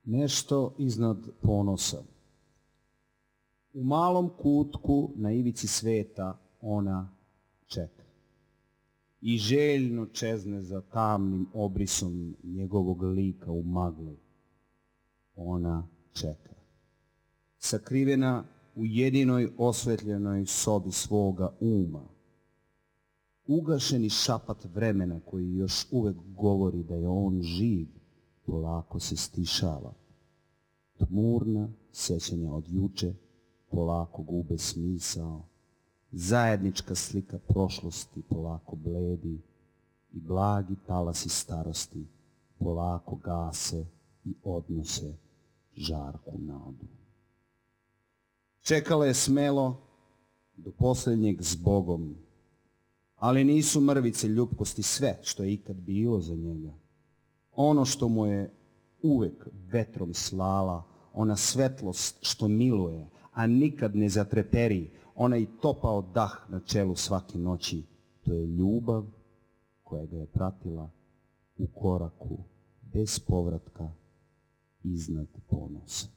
Nešto iznad ponosa. U malom kutku na ivici sveta ona čeka i željno čezne za tamnim obrisom njegovog lika u magli. Ona čeka, sakrivena u jedinoj osvetljenoj sobi svoga uma. Ugašeni šapat vremena koji još uvek govori da je on živ, polako se stišava. Tmurna sećanja od juče polako gube smisao. Zajednička slika prošlosti polako bledi i blagi talasi starosti polako gase i odnose žarku nadu. Čekala je smelo do posljednjeg zbogom, ali nisu mrvice ljupkosti sve što je ikad bilo za njega. Ono što mu je uvek vetrom slala, ona svetlost što miluje, a nikad ne zatreperi, onaj topao dah na čelu svake noći, to je ljubav koja ga je pratila u koraku bez povratka iznad ponosa.